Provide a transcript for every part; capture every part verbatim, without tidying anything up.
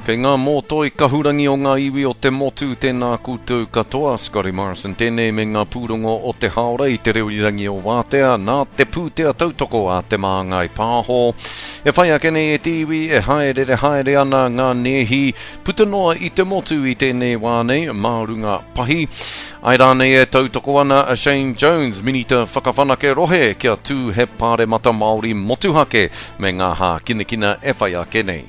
Kei ngā mōtoi kahurangi o ngā iwi o te motu tēnā koutou katoa, Scotty Morrison tēnei me ngā pūrongo o te haora i te reo irirangi o Wātea nā te pūtea tautoko a Te Māngai Pāho. E whai ake nei e te iwi e haerere haere ana ngā nēhi puta noa i te motu i tēnei wā nei mā runga pahi. Ai rānei e tautoko ana a Shane Jones, Minita Whakawhanake Rohe, kia tū he pāremata Māori motuhake me ngā hākinakina e whai ake nei.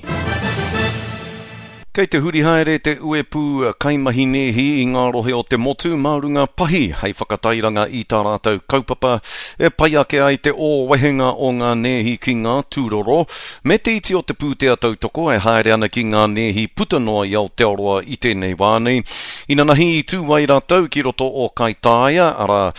Kei te huri haere te uepū kaimahi nēhi i ngā rohe o te motu mā runga pahi hei whakatairanga i tā rātou kaupapa e pai ake ai te ōwehenga o ngā nēhi ki ngā tūroro me te iti o te pūtea tautoko e haere ana ki ngā nēhi puta noa i Aotearoa i tēnei wā nei. Inanahi i tū ai rātou ki roto o Kaitāia, arā,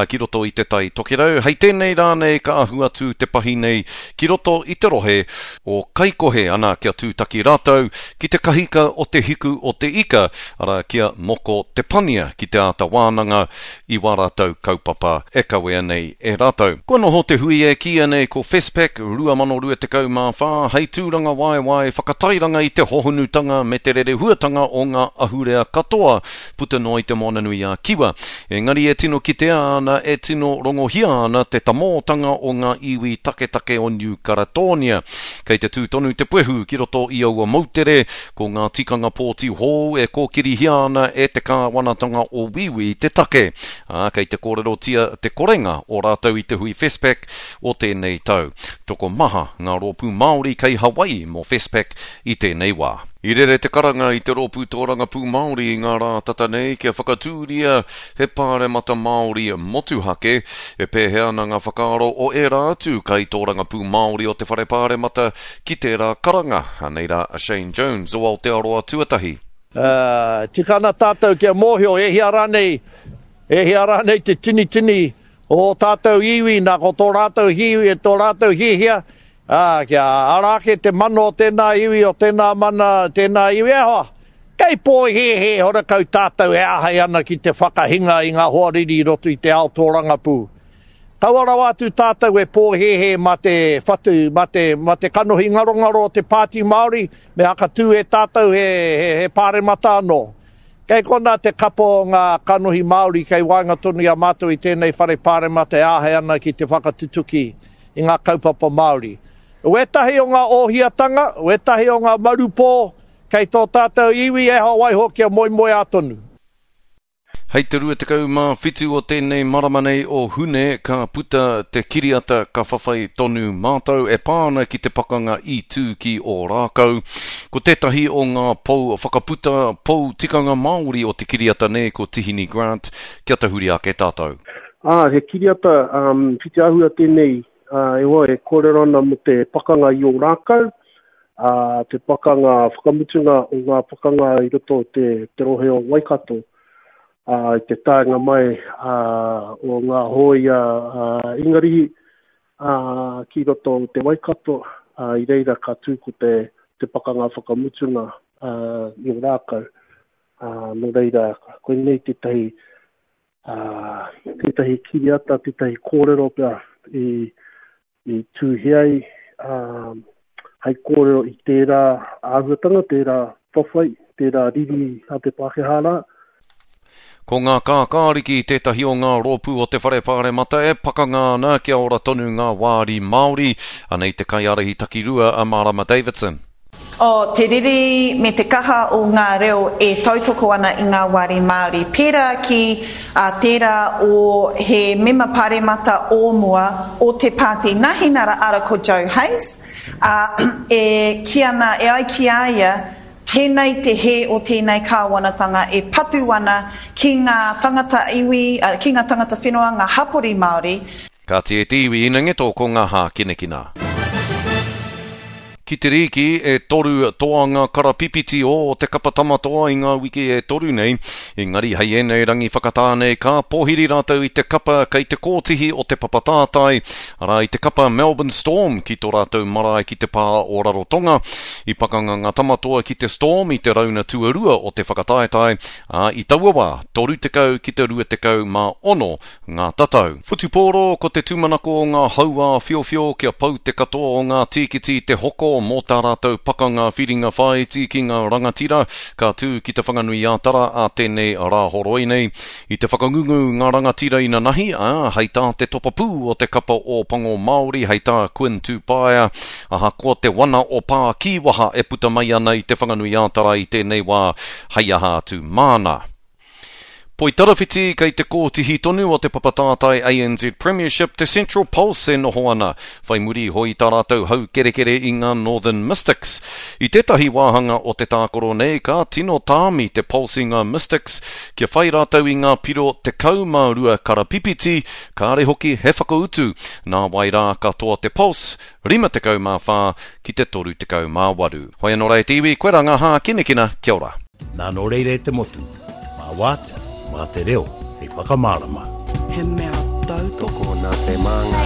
ki roto i te Tai Tokerau. Hei tēnei rā nei ka ahu atu te pahi nei ki roto i te rohe o Kaikohe, ana kia tūtaki rātou ki te kahika o te hiku o te ika, arā kia Moko Te Pania ki te āta wānanga i wā rātou kaupapa e kawea nei e rātou. Kua noho te hui e kīia nei ko FestPac rua mano rua tekau mā whā hei tūrangawaewae whakatairanga i te hohonutanga me te rerehuatanga o ngā ahurea katoa puta noa i te Moananui-a-Kiwa. Engari e tino kitea ana, e tino rongohia ana te tamōtanga o ngā iwi taketake o Niu Karetōnia. Kei te tū tonu te puehu ki roto i aua moutere, ko ngā tikanga pōti hou e kōkirihia ana e te kāwanatanga o Wīwī te take, ā, kei te kōrerotia te korenga o rātou i te hui FestPac o tēnei tau. Tokomaha ngā rōpū Māori kei Hawaii mō FestPac i tēnei wā. I rere te karanga i te Rōpū Tōrangapū Māori i ngā rā tata nei kia whakatūria he pāremata Māori motuhake. E pēhea ana ngā whakaaro o ērā atu kaitōrangapū Māori o te Whare Pāremata ki tērā karanga? Anei rā a Shane Jones o Aotearoa Tuatahi. Ā, tika ana tātou kia mōhio e hia rānei, e hia rānei te tinitini o ō tātou iwi, nā ko tō rātou hiwi, tō rātou hiahia, Ā, kia ara ake te mana o tēnā iwi, o tēnā mana, tēnā iwi, e hoa, kei pōhēhē horekau tātou e āhei ana ki te whakahinga i ngā hoariri i roto i te ao tōrangapū. Kaua rawa atu tātou e pōhēhē mā te whatu, mā te, mā te kanohi ngarongaro o te Pāti Māori, me hakatū e tātou he, he, he pāremata anō. Kei konā te kapa o ngā kanohi Māori kei waenga tonu i a mātou i tēnei whare pāremata e āhei ana ki te whakatutuki i ngā kaupapa Māori. Wētahi o ngā ōhiatanga, wētahi o ngā marupō kei tō tātou iwi e hoa waiho kia moemoeā tonu. Hei te rua tekau mā whitu o tēnei marama nei o Hune ka puta te kiriata Ka Whawhai Tonu Mātou e pā ana ki te pakanga i tū ki Ōrākau. Ko tētahi o ngā pou whakaputa, pou tikanga Māori o te kiriata nei ko Tihini Grant, kia tahuri ake tātou. Ā, he kiriata whitiāhua tēnei, ā, e hoa e kōrero ana mō te pakanga i Ōrākau, ā, te pakanga whakamutunga o ngā pakanga i roto o te, te rohe o Waikato, ā, i te taenga mai, ā, o ngā hōia, ā, Ingarihi, ā, ki roto o te Waikato, ā, i reira ka tū ko te, te pakanga whakamutunga, ā, i Ōrākau. Ā, nō reira, koinei tētahi, ā, tētahi kiriata, tētahi kōrero pea i, i tūhi ai, ā, hei kōrero i tērā āhuatanga, tērā whawhai, tērā riri a te Pākehā rā. Ko ngā Kākāriki tētahi o ngā rōpū o te Whare Pāremata e pakanga ana kia ora tonu ngā wāri Māori. Anei te kaiārahi takirua a Marama Davidson. O te riri me te kaha o ngā reo e tautoko ana i ngā wāri Māori, pērā ki a tērā o he mema paremata o mua o te Pāti Nahinara ara ko Joe Hayes, ā, e kī ana, e ai ki a ia, tēnei te hē o tēnei kāwanatanga e patu ana ki ngā tangata iwi, ki ngā tangata whenua, ngā hapori Māori. Kāti e te iwi inangeto ko ngā hākinakina. Ki te rīki, e toru toanga karapipiti o te kapa Tamatoa i ngā wiki e toru nei, engari hei ēnei rangi whakatā nei ka pōhiri rātou i te kapa kei te kōtihi o te papa tātai, arā i te kapa Melbourne Storm ki tō rātou marae ki te pā o Rarotonga. I pakanga ngā Tamatoa ki te Storm i te rauna tuarua o te whakataetae, ā, i taua wā, toru tekau ki te rua tekau mā ono ngā tatau. Whutupōro, ko te tūmanako o ngā hauā whiowhio kia pau te katoa o ngā tīkiti te hoko mō tā rātou pakanga whiringa whāiti ki ngā rangatira, ka tū ki Te Whanganui-ā-Tara ā tēnei Rāhoroi nei. I te whakangungu ngā rangatira inanahi, ā, hei tā te topapū o te kapa Ōpango Māori, hei tā Quinn Tupaea, ahakoa te wana o Pā Kīwaha e puta mai ana i Te Whanganui-ā-Tara i tēnei wā, hei aha atu māna. Poitarawhiti kei te kōtihi tonu o te papa tātai A N Z Premiership te Central Pulse e noho ana, whai muri iho i tā rātou haukerekere i ngā Northern Mystics. I tētahi wāhanga o te tākaro nei, ka tino tāmi te Pulse i ngā Mystics kia whai rātou i ngā piro tekau mā rua karapipiti, kāre hoki he whakautu. Nā wai rā ka toa te Pulse, rima tekau mā whā ki te toru tekau mā waru. Hoi anō rā e te iwi, koe rā ngā hākinakina, kia ora. Nā nō reira e te motu, mā wātea, mā te reo, hei whakamārama. He mea tautoko. Tokona te māngai.